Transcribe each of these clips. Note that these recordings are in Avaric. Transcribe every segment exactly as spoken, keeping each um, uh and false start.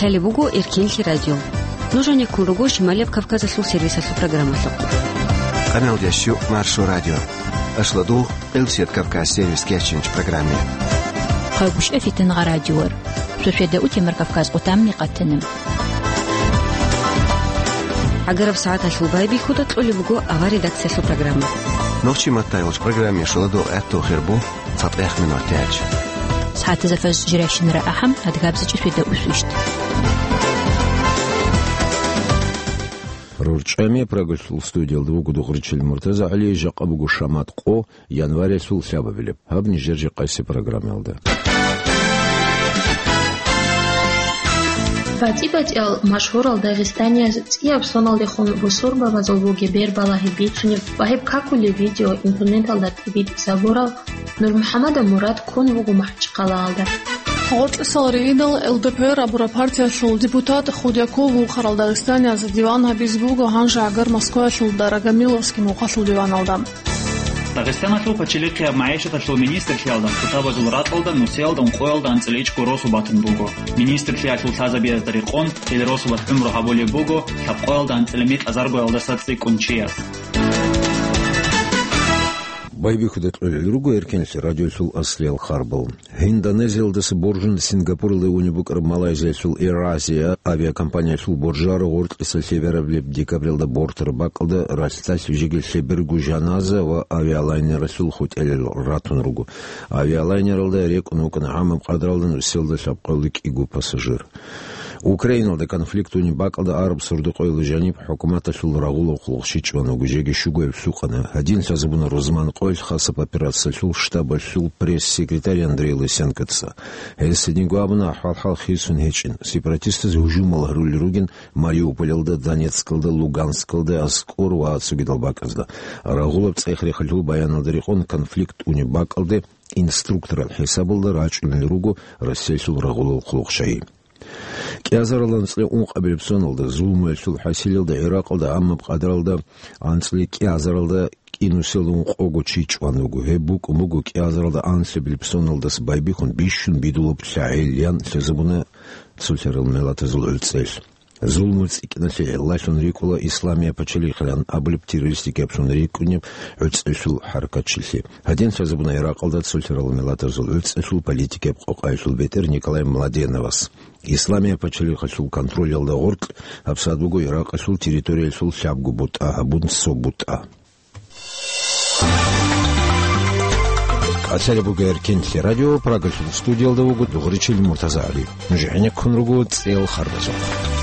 Лъалеб буго Эркенлъи радио. Нуж гьанеккун руго Шималияб Кавказалъул сервисалъул программалъухъ. Къаналда щук Маршо радио. Ашлодугъ Элсет Кавказ сервис кечинч программе. Хъагушев Фитнагъа радиор. Сосиеда утемар Кавказ къутамни къатана. ГӀагараб сагӀаталъул байбихьуда кьолеб буго авар редакциялъул программа. Нохчи маттайолч программе шуладо гӀатту хирбу цатӀех минут тяч. СагӀатазда фаз жиращинара ахӀам, адгабзачӀи светда усвищт. РорчӀами Прагалъул студиялда вуго Дугъричил МуртазагӀали, жакъа буго шамат къо, январялъул лъабабилеб. Гьаб нижер жакъаси программаялда. БатӀи-батӀиял машгьурал дагъистанияз цӀияб соналдехун бусурбабазул бугеб бербалагьи бицунеб ва гьеб какулеб видео интернеталда тӀибитӀизабурав НурмухӀамадов Мурад ккун вуго МахӀачхъалаялда. Гъоркьисал ригьидал ЛДПР абураб партиялъул депутат Худяков вухъарал дагъистанияз диван гьабизе буго гьанже гӀагар Москваялъул Дорогомиловский мухъалъул диваналда. Дагъистаналъул пачалихъияб магӀишаталъул министрлъиялда хутабазул ракьалда нусиялда ункъоялда анцӀила ичӀго росу батун буго. Министрлъиялъул лъазабиязда рекъон, гьел росулас гӀумру гьабулеб буго лъабкъоялда анцӀила микьазаргоялдаса цӀикӀкӀун чияс. Байбихьуда кьолел руго Эркенлъи радиолъул аслиял харбал. Индонезиялдаса боржун Сингапуралде унеб букӀараб Малайзиялъул AirAsia авиакомпаниялъул боржаро гъоркьиса лъеберабилеб декабралда бортараб бакӀалда ралъдалъ жеги лъеберго жаназа ва авиалайнералъул хутӀелал ратун руго. Авиалайнералда рекӀун вукӀана гӀамаб къадралда нусиялда лъабкъоялда кӀиго пассажир. Украиналда конфликт унеб бакӀалда араб сордо-къоялда жаниб хӀукуматалъул рагъулаб хъулухъ щичӀ чӀван вуго, жеги щугояб лъукъана. Гьадин лъазабуна рузман къоялъ хасаб операциялъул штабалъул пресс-секретарь Андрей Лысенкоца. Гьес гьединго абуна, ахӀвал-хӀал хисун гьечӀин. Сепаратистаз гьужумал гьарулел ругин Мариуполалда, Донецкалда, Луганскалда, АскӀор ва цогидал бакӀазда. Рагъулаб цӀех-рехалъул баяналда рекъон, конфликт унеб бакӀалде инструкторал хӀисабалда рачӀунел руго Россиялъул рагъулал хъулухъчагьи. КӀиазаралда анцӀила ункъабилеб соналда, зулмуялъул хӀасилалда, ГӀиракъалда гӀамаб къадралда анцӀила кӀиазаралда кӀинусел ункъого чи чӀван вуго. Гьеб букӀун буго кӀиазаралда анлъабилеб соналдаса байбихьун бищун бидулаб лъагӀел, ян лъазабуна цолъарал миллатазул гӀуцӀел. Зулму цӀикӀкӀиналъе гӀиллалъун рикӀкӀуна Исламия пачалихъилан абулеб террористикаблъун рикӀкӀунеб гӀуцӀелъул хӀаракатчилъи. Гьадин лъазабуна ГӀиракъалда цолъарал миллатазул гӀуцӀелъул политикияб къокъаялъул бетӀер Николай Младеновас. Исламия пачалихъалъул контролялда гъоркь гьабсагӀат буго Иракъалъул территориялъул лъабго бутӀа гьабун цо бутӀа. Къацари буго Эркенлъи радио, Прагалъул студиялда вуго Дугъричил МуртазагӀали. Нуж гӀенеккун руго цӀел харбазухъ.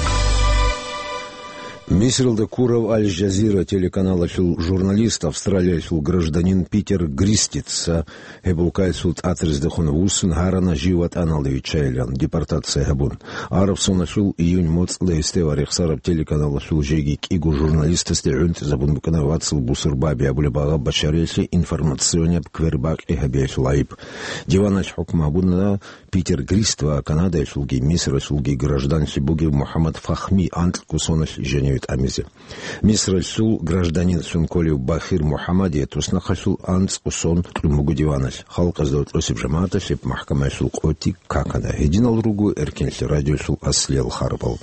Мисралда ккурав Аль-Жазира телеканалалъул журналист, Австралиялъул гражданин Питер Гристица, гьеб улкаялъул тӀатриздехун вуссун гьарана жив ватӀаналде виччайилан, депортация гьабун. Араб соналъул июнь моцӀалда гьесде ва рехсараб телеканалалъул жеги кӀиго журналистасде гӀунтӀизабун букӀана вацал бусурбаби абулеб агъа бачариялъе информационияб квербакъи гьабиялъул гӀайиб. Диваналъ хӀукму гьабуна Питер Грист ва Канадаялъулги Мисралъулги гражданлъи бугев МухӀаммад Фахми анкьго соналъ жаниве тӀамизе. Мисралъул гражданинлъун кколев Бахир МухӀаммадие туснахъалъул анцӀго сон кьун буго диваналъ. Халкъазда тӀосеб жамагӀаталъе махкамаялъул къотӀи какана. Гьединал руго Эркенлъи радиолъул аслиял харбал.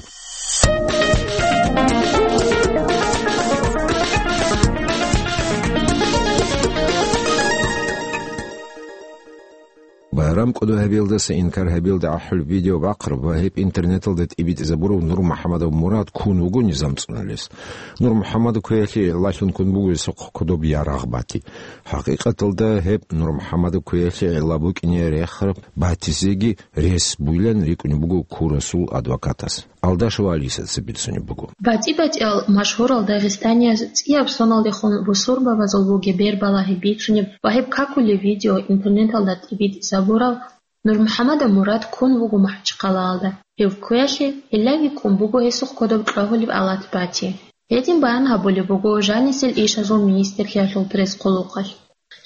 Байрам кӀодо гьабиялдаса инкар гьабиялда гӀахӀулеб видео бахъараб ва гьеб интернеталда тӀибитӀизабурав НурмухӀамадов Мурад ккун вуго низам цӀунулес. НурмухӀамадов квеялъе гӀиллалъун ккун буго гьесухъ кодоб ярагъ бати. ХӀакъикъаталда гьеб НурмухӀамадов квеялъе гӀилла букӀине рехараб батизеги рес буйлан рикӀкӀунеб буго ккурасул адвокатас. Алдашева Алисаца бицунеб буго. БатӀи-батӀиял машгьурал дагъистанияз цӀияб соналдехун бусурбабазул бугеб бербалагьи бицунеб ва гьеб какулеб видео интернеталда тӀибитӀизабурав НурмухӀамадов Мурад ккун вуго МахӀачхъалаялда. Гьев кквеялъе гьелъаги ккун буго гьесухъ кодоб кьвагьулеб алат бати. Гьедин баян гьабулеб буго жанисел ишазул министрлъиялъул пресс-хъулухъалъ.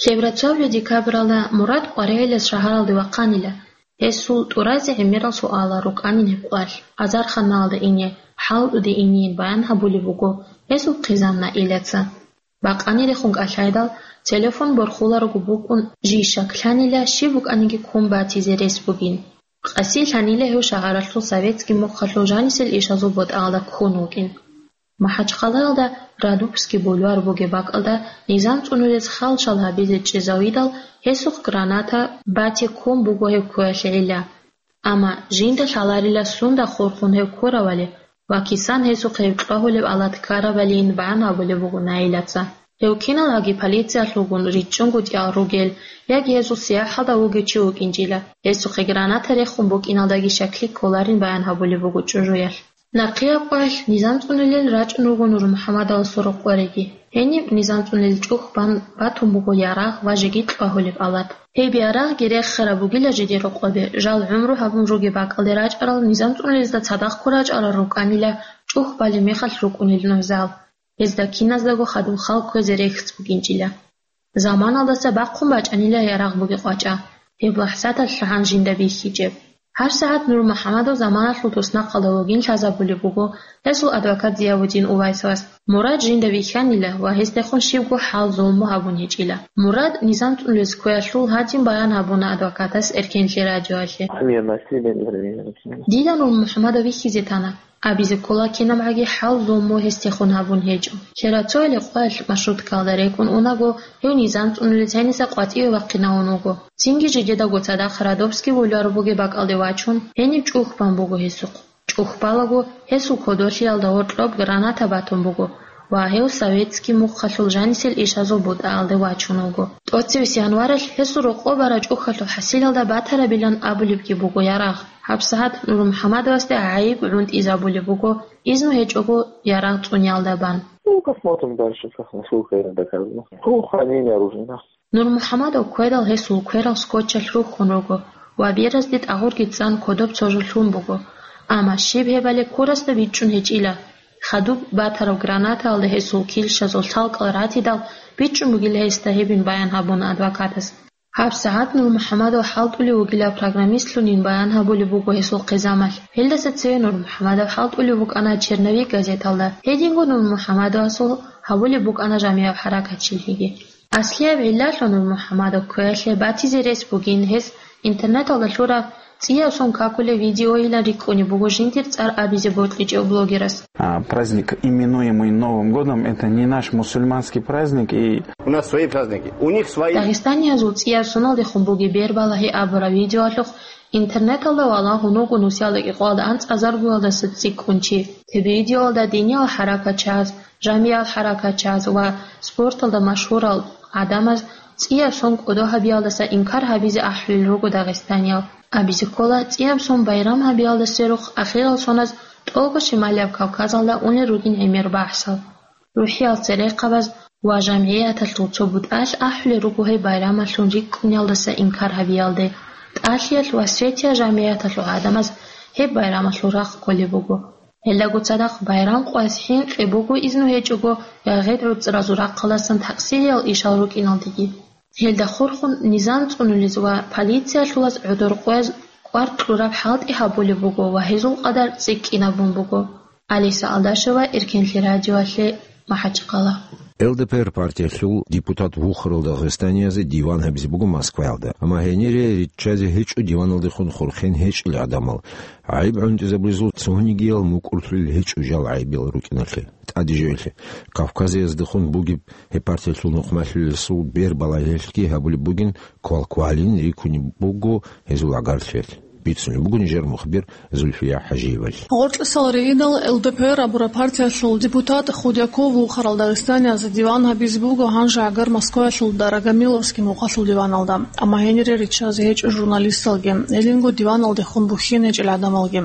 Лъеберацовлъи декабралда Мурад Къваригьелас шагьаралде вахъанила. Гьесул тӀуразе гӀемерал суалал рукӀанин гьеб къвалъ. Азарханалда ине, хӀалтӀуде инейин баян гьабулеб буго гьесул хъизан Наилаца. Бакъанирехун кӀалъайдал, телефон борхуларого букӀун жий щаклъанила, щиб букӀаниги ккун батизе рес бугин. Къаси лъанила гьев шагьаралъул советский мухъалъул жанисел ишазул бутӀаялда ккун вукӀин. МахӀачхъалаялда Радубский бульвар бугеб бакӀалда низам цӀунулез хал-шал гьабизе чӀезавидал, гьесухъ граната бате ккун буго гьев кквеялъе гӀилла. Амма жинда лъаларила сунда хурхун гьев ккоравали ва кисан гьесухъе гьев чӀвагьулеб алат ккаравалиин баян гьабулеб буго Наилаца. Гьев киналгӀаги полициялъулгун ричӀчӀунго тӀал ругел яги гьезул сияхӀалда вугев чи вукӀинчӀила, гьесухъе граната рехун букӀиналдаги щаклъи кколарин баян гьабулеб буго чӀужуялъ. Нахъеяб къоялъ низам цӀунулел рачӀун руго НурмухӀамадаласул рокъореги. Гьениб низам цӀунулел чӀухь бан батун буго ярагъ ва жеги чӀвагьулеб алат. Гьеб ярагъги рехараб бугила жидер рокъобе, жал гӀумру гьабун ругеб бакӀалде рачӀарал низам цӀунулезда цадахъ ккурачӀарал рукӀанила чӀухь балеб мехалъ рукӀунел нугӀзал. Гьезда киназдаго хадуб хал кквезе рехс букӀинчӀила. Заманалдаса бахъун бачӀанила ярагъ бугеб къвачӀа, гьеб лахӀзаталъ лъугӀан жинда бихьичӀеб. ГьабсагӀат НурмухӀамадов заманалъул туснахъалда вугин лъазабулеб буго гьесул адвокат Зиявудин Увайсовас. Мурад жинда вихьанила ва гьесдехун щибго хӀал-зулму гьабун гьечӀила. Мурад низам цӀунулез кквеялъул гьадин баян гьабуна адвокатас Эркенлъи радиоялъе. Дида НурмухӀамадов вихьизе тана. Абизе ккола кинабгӀаги хӀал-зулму гьесдехун гьабун гьечӀо. Лъерацояли къоялъ маршруткаялда рекӀун унаго, гьев низам цӀунулез гьениса къватӀиве вахъинавун вуго. Цинги жидедаго цадахъ Радубский бульвар бугеб бакӀалде вачун, гьениб чӀухь бан буго гьесухъ. ЧӀухь балаго, гьесул кодолъиялда гьоркьоб граната батун буго ва гьев советский мухъалъул жанисел ишазул бутӀаялде вачун вуго. ТӀоцевесеб январалъ гьесул рокъоб бараб чӀухьалъул хӀасилалда батарабилан абулебги буго ярагъ. ГьабсагӀат НурмухӀамадовасде гӀайиб гӀунтӀизабулеб буго, изну гьечӀого ярагъ цӀуниялда бан. Ну, посмотрим дальше, как, насколько это доказано. По хранению оружия, да. НурмухӀамадов ккведал гьесул кверал скотчалъ рухьун руго ва беразде тӀагъурги цӀан кодоб цо жо лъун буго, амма щиб гьебали курасда бичӀчӀун гьечӀила. Хадуб батараб гранатаялда гьесул килщазул лъалкӀал ратидал, бичӀчӀун бугила гьесда гьебин баян гьабуна адвокатас. ГьабсагӀат НурмухӀамадов хӀалтӀулев вугила программистлъунин баян гьабулеб буго гьесул хъизамалъ. Гьелдаса цеве НурмухӀамадов хӀалтӀулев вукӀана «Черновик» газеталда. Гьединго НурмухӀамадовасул гьабулеб букӀана жамигӀаб хӀаракатчилъиги. Аслияб гӀиллалъун НурмухӀамадов кквеялъе батизе рес бугин гьес интернеталда лъураб цӀияб сон какулеб видеойилан рикӀкӀунеб буго жиндир цӀар абизе бокьичӀев блогерас. А, праздник, именуемый Новым годом, это не наш мусульманский праздник, и У нас свои праздники, у них свои. Дагъистаниязул цӀияб соналдехун бугеб бербалагьи абураб видеоялъухъ интернеталда валагьун вуго нусиялда кӀикъоялда анцӀазаргоялдаса цӀикӀкӀун чи. Гьеб видеоялда диниял хӀаракатчияз, жамигӀал хӀаракатчияз ва спорталда машгьурал гӀадамаз цӀияб сон кӀодо гьабиялдаса инкар гьабизе ахӀулел руго дагъистаниял. Абизе ккола, цӀияб сон байрам гьабиялда сверухъ ахирал соназ тӀолго Шималияб Кавказалда унел ругин гӀемер бахӀсал. РухӀиял церехъабаз ва жамгӀияталъул цо бутӀалъ ахӀулел руго гьеб байрамалъун рикӀкӀуниялдаса инкар гьабиялде. ТӀалъиялъ ва Осетия жамгӀияталъул гӀадамаз гьеб байрамалъул рахъ кколеб буго. Гьелдаго цадахъ байрам къваз хӀинкъи буго изну гьечӀого ягъид гӀуцӀразул рахъалдасан такъсириял ишал рукӀиналдеги. Гьелда хурхун низам цӀунулез ва полициялъулаз гӀодор къваз кӀвар кьураб хӀалтӀи гьабулеб буго ва гьезул къадар цӀикӀкӀинабун буго. Алиса Алдашева, Эркенлъи радиоялъе, МахӀачхъала. Л Д П Р партиялъул депутат вухарал дагъистаниязе диван гьабизе буго Москваялда. Амма гьенире риччазе гьечӀо диваналдехун хурхен гьечӀел гӀадамал. ГӀайиб гӀунтӀизабулезул цонигиял мукӀурлъулел гьечӀо жал гӀайибиял рукӀиналъе, тӀаде жоялъе. Кавказияздехун бугеб гьеб партиялъул нухмалъулесул бербалагьиялъги гьабулеб бугин, квалквалин рикунеб буго гьезул гӀагарлъиялъ. Бицунеб буго нижер мухбир Зульфия ХӀажиевалъ. Гъоркьисал риидал Л Д П Р абураб партиялъул депутат Худяков вухарал дагъистаниязе диван гьабизе буго гьанже гӀагар Москваялъул Дорогомиловский мухъалъул диваналда, амма гьенире риччазе гьечӀо журналисталги, гьелинго диваналдехун бухьине гьечӀел гӀадамалги.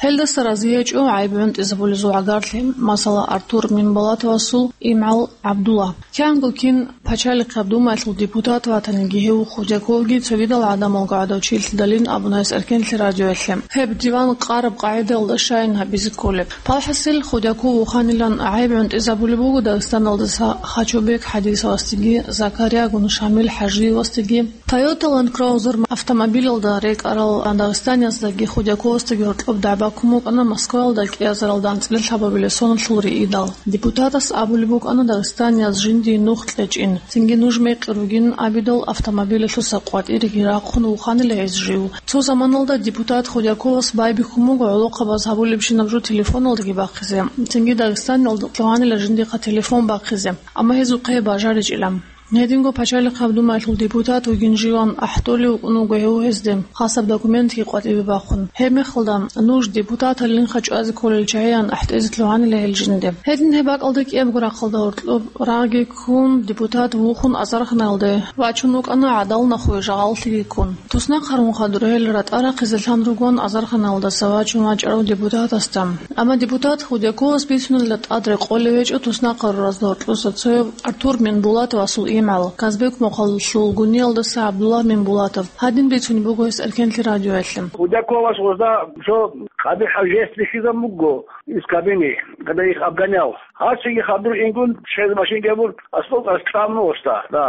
Гьелдаса рази гьечӀо гӀайиб гӀунтӀизабулезул гӀагарлъи, масала, Артур Минболатовасул имгӀал ГӀабдулла. Киянго кин Пачалихъаб Думаялъул депутат ватаниги гьев Худяковги цогидал гӀадамалго гӀодов чилъидалин абуна гьес Эркенлъи радиоялъе. Гьеб диван къараб къагӀидаялда щайин гьабизе кколеб. Палхасил Худяков вуханилан гӀайиб гӀунтӀизабулеб буго Дагъистаналдаса Хачубек ХӀадисовасдеги Закарьягун Шамил ХӀажиевасдеги. Toyota Land Cruiser автомобилалда рекӀарал дагъистанияздаги Худяковасдаги гьоркьоб дагӀба ккун букӀана Москваялда кӀиазаралда анцӀила лъабабилеб соналъул риидал. Депутатас абулеб букӀана дагъистанияз жиндие нух кьечӀин, цинги нуж мекъи ругин абидал автомобилалъуса къватӀиреги рахъун вуханила гьез жив. Цо заманалда Депутат Худяковас байбихьун буго гӀолохъабаз гьабулебщинаб жо телефоналдаги бахъизе, цинги Дагъистаналда лъугьанила жиндихъа телефон бахъизе, амма гьезухъе бажаричӀила. Гьединго пачалихъаб думаялъул депутат вугин живан ахӀдолев вукӀун вуго гьев гьезде, хасаб документги къватӀибе бахъун. Гьеб мехалда нуж депутаталлъинха чӀвазе кколел чагӀиян ахӀдезе лъугьанила гьел жинде. Гьедин гьеб бакӀалда кӀиябго рахъалда гьоркьоб рагъги ккун, депутат вухун азарханалде вачун вукӀана гӀадал нахуе жагъаллъиги ккун. Туснахъ гьарун хадур гьел ратӀа рахъизе лъан ругон азарханалдаса вачун вачӀарав депутатасда. Амма депутат Худяковас бицунела тӀад рекъолев гьечӀо туснахъ гьаруразда гьоркьоса цояв Артур Минбулатовасул имгӀал, Казбек мухъаллъул гуниялдаса ГӀабдуллагь Минбулатов. Гьадин бицунеб буго гьес Эркенлъи радиоялъе. Худяковас гъозда жо къабихӀав жест бихьизабун буго из кабине, когда их обгонял. Гьасиги хадур ингун, чез машинги абун, аслу ас тӀамун гъозда, да.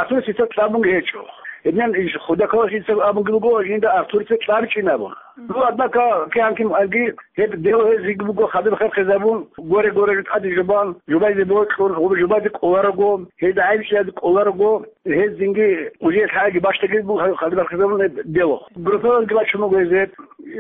Артур сица тӀамун гьечӀо. Гьединан иш Худяковас жинца абунги буго, жинда Артурица тӀамичӀин абун. Ну, однако, кигӀан кин аги, гьеб дело гьезиги буго, хадуб херхизабун, горе-горе тӀаде жубан, жубазе бокьун, жубазе кӀоларого, гьезда гӀайбичӀлъизе кӀоларого, гьез цинги уже лъаги бащдагиз буго, хадуб херхизабун гьеб дело. Группаялги бачун буго гьез гьеб,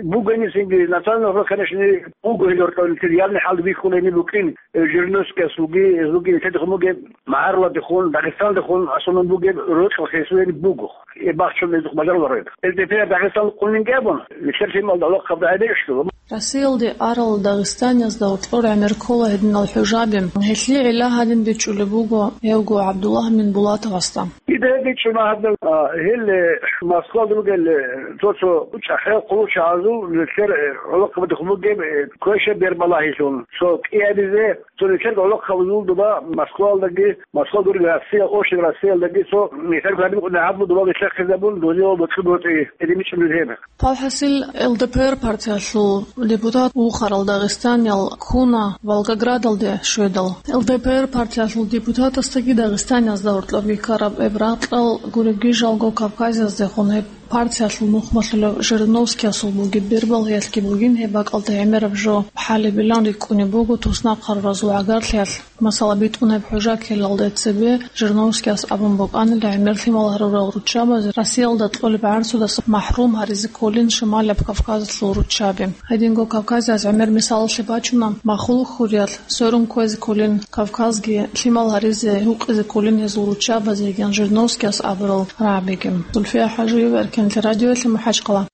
бугони цинги, национальный вопрос, конечно, буго гьел гьоркьоб, явный хӀал бихьулеб букӀин, э, Жириновскиясулги, гьезулги нилъеда хун бугеб, магӀарулаздехун, Дагъистаналдехун асулун бугеб рокьи хисуялъ буго. Э, бахчун гьезухъ бажаруларо. Эл Д П Р Дагъистан къулинги абун, нилъер лъималда гӀолохъаб рагӀи бегьулъул. Россиялде арал дагъистаниязда гьоркьор гӀемер ккола гьединал хӀужаби. Гьелъие гӀилла гьадин бичӀчӀулеб буго гьевго ГӀабдуллагь Минбулатовасда. Дида гьеб бичӀчӀуна гьадин, а, гьел, э, Москвалда ругел, э, цо-цо чӀахӀиял хъулухъчагӀазул нилъер, э, гӀолохъабазда хун бугеб, э, квеша бербалагьилъун, цо кӀиабизе, цо нилъер гӀолохъабазул доба Москвалдаги, Москвалда ругел Россия, общий Россиялдаги цо нилъер гьабун гьабун доба бихьахъизабун, дозие бокьун бокьи, гьедин бичӀчӀулеб гьеб. Павхасил Л Д П Р партиялъул депутат вухарал дагъистаниял ккуна Волгоградалде щведал. Л Д П Р партиялъул депутатасдаги Дагъистаниязда гьоркьоб бихьараб гьеб ракьал гуребги жалго Кавказаздехун гьеб партиялъул нухмалъулев Жириновскиясул бугеб бербалъиялъги бугин, гьеб бакӀалда гӀемераб жо хӀалебилан рикӀкӀунеб буго туснахъ гьаруразул гӀагарлъиялъ. Масала, битӀун гьеб хӀужа ккелалде цебе Жириновскияс абун букӀанила, гӀемер лъимал гьарурал руччабазе Россиялда кьолеб гӀарцудаса махӀрум гьаризе кколин Шималаб Кавказалъул руччаби. Гьединго Кавказиялъ гӀемер мисалалъе бачуна, махулухъ хуриялъ сверун кквезе кколин, Кавказги лъимал гьаризе гьукъизе кколин гьезул руччабазе йигин Жириновскияс абурал рагӀабиги. Зульфия ХӀажиева, Эркенлъи радиоялъе, МахӀачхъала.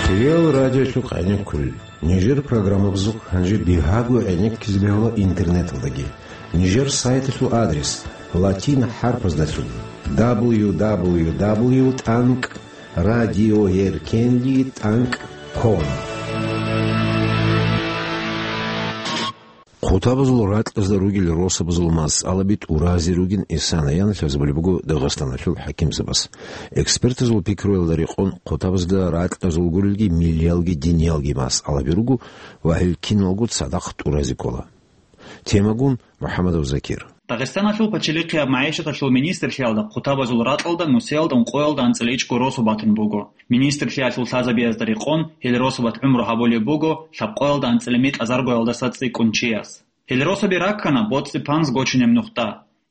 Кирил радиолъухъ гӀенеккулел. Нижер программабазухъ гьанже бигьаго гӀенеккизе бегьула интернеталдаги. Нижер сайталъул адрес латин хӀарпаздалъун: дабл ю дабл ю дабл ю тӀанкӀ радиоеркенлъи тӀанкӀ ком. Хъутабазул ракьазда ругел росабазул масъалаби тӀуразе ругин исана яналъ гьезабулеб буго Дагъистаналъул хӀакимзабаз. Экспертазул пикруялда рекъон, хъутабазда ракьазул гурелги миллиялги диниялги масъалаби руго ва гьел киналго цадахъ тӀуразе ккола. Темагун МухӀамадов Закир. Дагъистаналъул пачалихъияб магӀишаталъул министрлъиялда хъутабазул ракьалда нусиялда ункъоялда анцӀила ичӀго росу батун буго. Министрлъиялъул лъазабиязда рекъон, гьел росабат гӀумру гьабулеб буго лъабкъоялда анцӀила микьазаргоялдаса цӀикӀкӀун чияс. Гьел росаби раккана боцӀи-панз гочунеб нухда.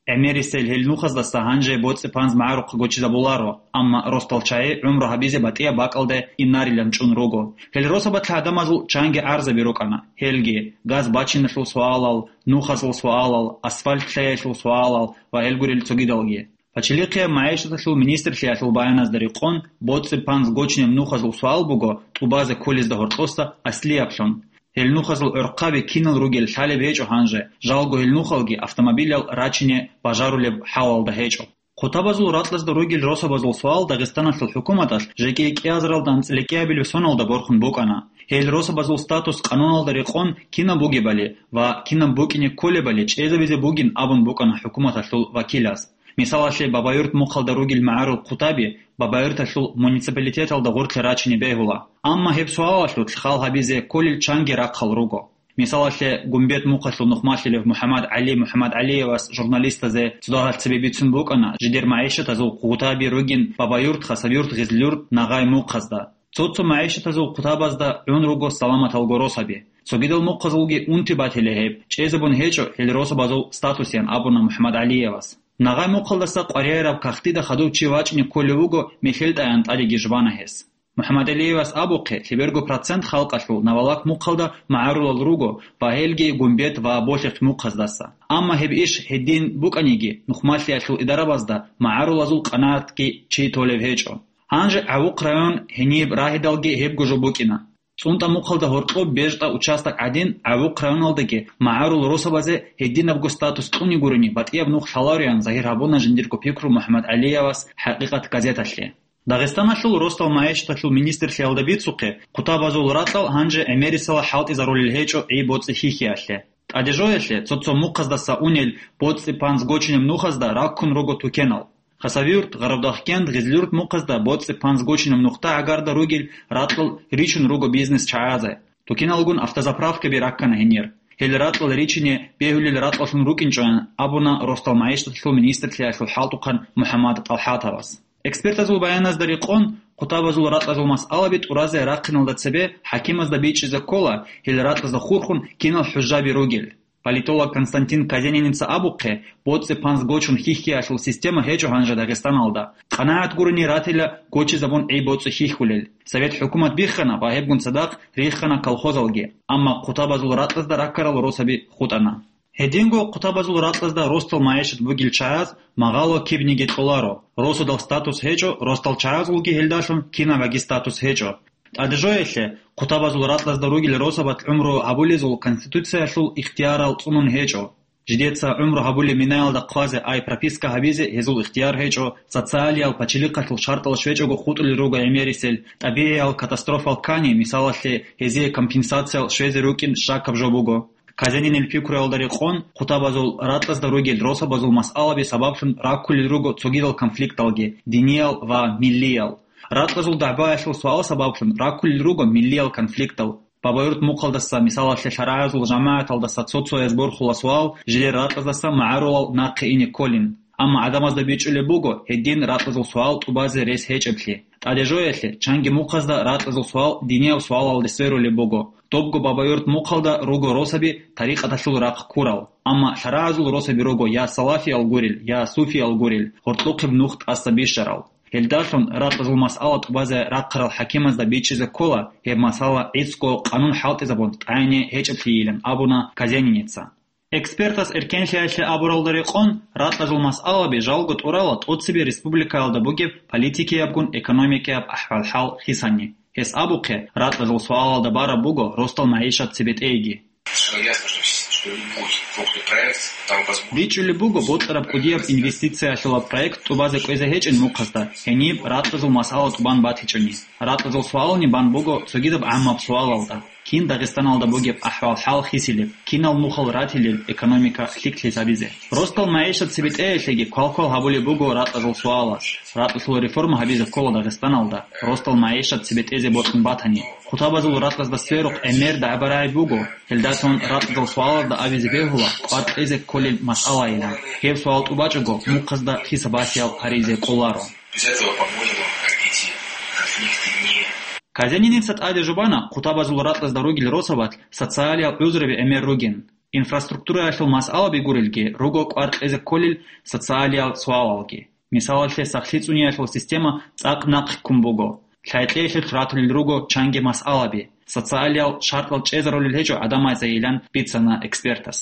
ГӀемерисел гьел нухаздаса гьанже боцӀи-панз магӀарухъ гочизабуларо, амма росдал чагӀи гӀумру гьабизе батӀияб бакӀалде инарилан чӀун руго. Гьел росабалъ гӀадамазул чанги гӀарзаби рукӀана, гьелги: газ бачиналъул суалал, нухазул суалал, асфальт лъеялъул суалал ва гьел гурел цогидалги. Пачалихъияб магӀишаталъул министрлъиялъул баяназда рекъон, боцӀи-панз гочунеб нухазул суал буго тӀубазе кколезда гьоркьоса аслияблъун. Гьел нухазул гӀорхъаби кинал ругел лъалеб гьечӀо гьанже, жалго гьел нухалги автомобилал рачине бажарулеб хӀалалда гьечӀо. Хъутабазул ракьазда ругел росабазул суал Дагъистаналъул хӀукуматалъ жеги кӀиазаралда анцӀила кӀиабилеб соналда борхун букӀана. Гьел росабазул статус къануналда рекъон кинаб бугебали ва кинаб букӀине кколебали чӀезабизе бугин абун букӀана хӀукуматалъул вакилас. Мисалалъе, Бабаюрт мухъалда ругел магӀарул хъутаби Бабаюрталъул муниципалитеталда гъорлъе рачине бегьула. Амма гьеб суалалъулъ хал гьабизе кколел чанги рахъал руго. Мисалалъе, Гумбет мухъалъул нухмалъулев МухӀаммад ГӀали МухӀаммадгӀалиевас журналистазе цо дагьалъ цебе бицун букӀана жидер магӀишатазул хъутаби ругин Бабаюрт, Хасавюрт, Гъизлюрт, Нагъай мухъазда. Цо-цо магӀишатазул хъутабазда гӀун руго саламаталго росаби. Цогидал мухъазулги унти батила гьеб, чӀезабун гьечӀо гьел росабазул статусян абуна МухӀаммадгӀалиевас. Нагъай мухъалдаса къваригӀараб кагътида хадув чи вачӀине кколев вуго, мехьел тӀаян тӀадеги жбана гьес. МухӀаммадгӀалиевас абухъе, лъеберго процент халкъалъул Навалак мухъалда магӀарулал руго ва гьелги Гумбет ва Болъихъ мухъаздаса. Амма гьеб иш гьедин букӀаниги, нухмалъиялъул идарабазда магӀарулазул къанагӀатги чи толеб гьечӀо. Гьанже ГӀавухъ район гьениб рагьидалги гьебго жо букӀина. ЦӀунтӀа мухъалда гьоркьоб бежтӀа участок гӀадин, ГӀавухъ районалдаги магӀарул росабазе гьединабго статус кьуни гурони, батӀияб нух лъалароян загьир гьабуна жиндирго пикру МухӀаммадгӀалиевас «ХӀакъикъат» газеталъе. Дагъистаналъул росдал магӀишаталъул министрлъиялда бицухъе, хъутабазул ракьал гьанже гӀемерисела хӀалтӀизарулел гьечӀо гӀи-боцӀи хьихьиялъе. ТӀадежоялъе цо-цо мухъаздаса унел боцӀи-панз гочинаб нухазда раккун руго тукенал. Хасавюрт, Гъарабдахкент, Гъизлюрт мухъазда боцӀи-панз гочинаб нухда гӀагарда ругел ракьал ричун руго бизнес чагӀазе. Тукеналгун автозаправкаби раккана гьенир. Гьел ракьал ричине бегьулел ракьаллъун рукӀинчӀоян абуна росдал магӀишаталъул министрлъиялъул хӀалтӀухъан МухӀаммад ТӀалхӀатовас. Экспертазул баяназда рекъон, хъутабазул ракьазул масъалаби тӀуразе рахъиналда цебе хӀакимазда бичӀчӀизе ккола, гьел ракьазда хурхун кинал хӀужаби ругел. Политолог Константин Казениница абухъе, боцӀи-панз гочун хьихьиялъул система гьечӀо гьанже Дагъистаналда. КъанагӀат гурони ратила гочизабун гӀи-боцӀи хьихьулел. Совет хӀукумат биххана ва гьебгун цадахъ риххана колхозалги, амма хъутабазул ракьазда раккарал росаби хутӀана. Гьединго хъутабазул ракьазда росдал магӀишат бугел чагӀаз магъало кибниги кьоларо, росудал статус гьечӀо, росдал чагӀазулги гьелдалъун кинабаги статус гьечӀо. ТӀадежоялъе хъутабазул ракьазда ругел росабат гӀумру гьабулезул Конституциялъул ихтиярал цӀунун гьечӀо. Жидеца гӀумру гьабулеб минаялда хъвазе ай прописка гьабизе гьезул ихтияр гьечӀо, социалиял пачалихъалъул шартӀал щвечӀого хутӀулел руго гӀемерисел, тӀабигӀиял катастрофал ккани, мисалалъе, гьезие компенсациял щвезе рукӀин щакаб жо буго. Казенинил пикруялда рекъон, хъутабазул ракьазда ругел росабазул масъалаби сабаблъун раккулел руго цогидал конфликталги, диниял ва миллиял. Ракьазул дагӀбаялъул суал сабаблъун раккулел руго миллиял конфликтал. Бабаюрт мухъалдаса, мисалалъе, лъарагӀазул жамагӀаталдаса цо-цояз борхула суал жилер ракьаздаса магӀарулал нахъе ине кколин. Амма гӀадамазда бичӀчӀулеб буго гьедин ракьазул суал тӀубазе рес гьечӀеблъи. ТӀадежоялъе чанги мухъазда ракьазул суал динияб суалалде сверулеб буго. Добго Бабаюрт мухъалда руго росаби тарикъаталъул рахъ ккурал. Амма лъарагӀазул росаби руго я салафиял гурел, я суфиял гурел, гьоркьохъеб нух тӀаса бищарал. Гьелдалъун ракьазул масъала тӀубазе рахъарал хӀакимазда бичӀчӀизе ккола, гьеб масъала гӀицӀго къанун хӀалтӀизабун тӀагӀине гьечӀеблъийилан абуна Казениница. Экспертас эркенлъиялъе абуралда рекъон, ракьазул масъалаби жалго тӀурала тӀоцебе республикаялда бугеб политикиябгун экономикияб ахӀвал-хӀал хисани. Гьес абухъе, ракьазул суалалда бараб буго росдал магӀишат цебетӀейги. Совершенно ясно, что, что любой крупный проект, там возможно. БичӀчӀулеб буго, бокьараб кӀудияб инвестициялъулаб проект тӀубазе кӀвезе гьечӀин мухъазда, гьениб ракьазул масъала тӀубан батичӀони. Ракьазул суални бан буго цогидаб гӀаммаб суалалда: кин Дагъистаналда бугеб ахӀвал-хӀал хисилеб, кинал нухал ратилел экономика лъикӀлъи гьабизе. Росдал магӀишат цебетӀеялъеги квалквал гьабулеб буго ракьазул суалас. Ракьалъул реформа гьабизе ккола Дагъистаналда, росдал магӀишат цебетӀезе бокьун батани. Хъутабазул ракьазда сверухъ гӀемер дагӀба-рагӀи буго, гьелдасан ракьазул суалазда абизе бегьула кӀвар кьезе кколел масъалайилан. Гьеб суал тӀубачӀого, мухъазда хисабалъиял гьаризе кӀоларо. Без этого, по-моему, развитие конфликта не. Казениница тӀаде жубана, хъутабазул ракьазда ругел росабат социалиял гӀузруби гӀемер ругин. Инфраструктураялъул масъалаби гурелги, руго кӀвар кьезе кколел социалиял суалалги. Мисалалъе, сахлъи цӀуниялъул система цӀакъ нахъ ккун буго. Лъайкьеялъулъ ратулел руго чанги масъалаби, социалиял шартӀал чӀезарулел гьечӀо гӀадамазейилан бицана экспертас.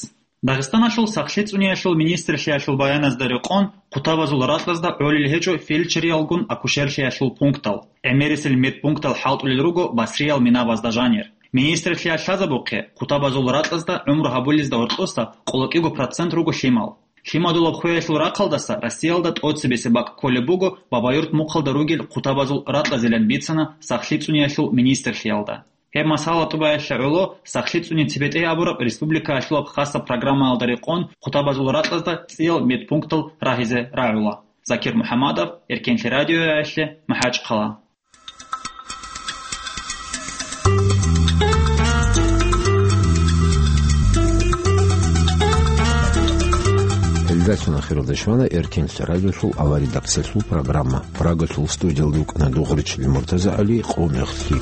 Дагъистаналъул сахлъи цӀуниялъул министрлъиялъул баяназда рекъон, хъутабазул ракьазда гӀолел гьечӀо фельдшериялгун акушерлъиялъул пунктал, гӀемерисел медпунктал хӀалтӀулел руго басриял минабазда жанир. Министрлъиялъ лъазабухъе, хъутабазул ракьазда гӀумру гьабулезда гьоркьоса къоло кӀиго процент руго лъимал. Лъимадулаб хвеялъул рахъалдаса Россиялда тӀоцебесеб бакӀ кколеб буго Бабаюрт мухъалда ругел хъутабазул ракьазилан бицана сахлъи цӀуниялъул министрлъиялда. Гьеб масъала тӀубаялъе гӀоло сахлъи цӀуни цебетӀей абураб республикаялъулаб хасаб программаялда рекъон хъутабазул ракьазда цӀиял медпунктал рагьизе рагӀула. Закир МухӀаммадов, Эркенлъи радиоялъе, МахӀачхъала. Гьелдалъун ахиралда щвана Эркенлъи радиолъул аваридакцалъул программа. Прагалъул студиялда вукӀана Дугъричилин МуртазагӀали, къо мехлъи.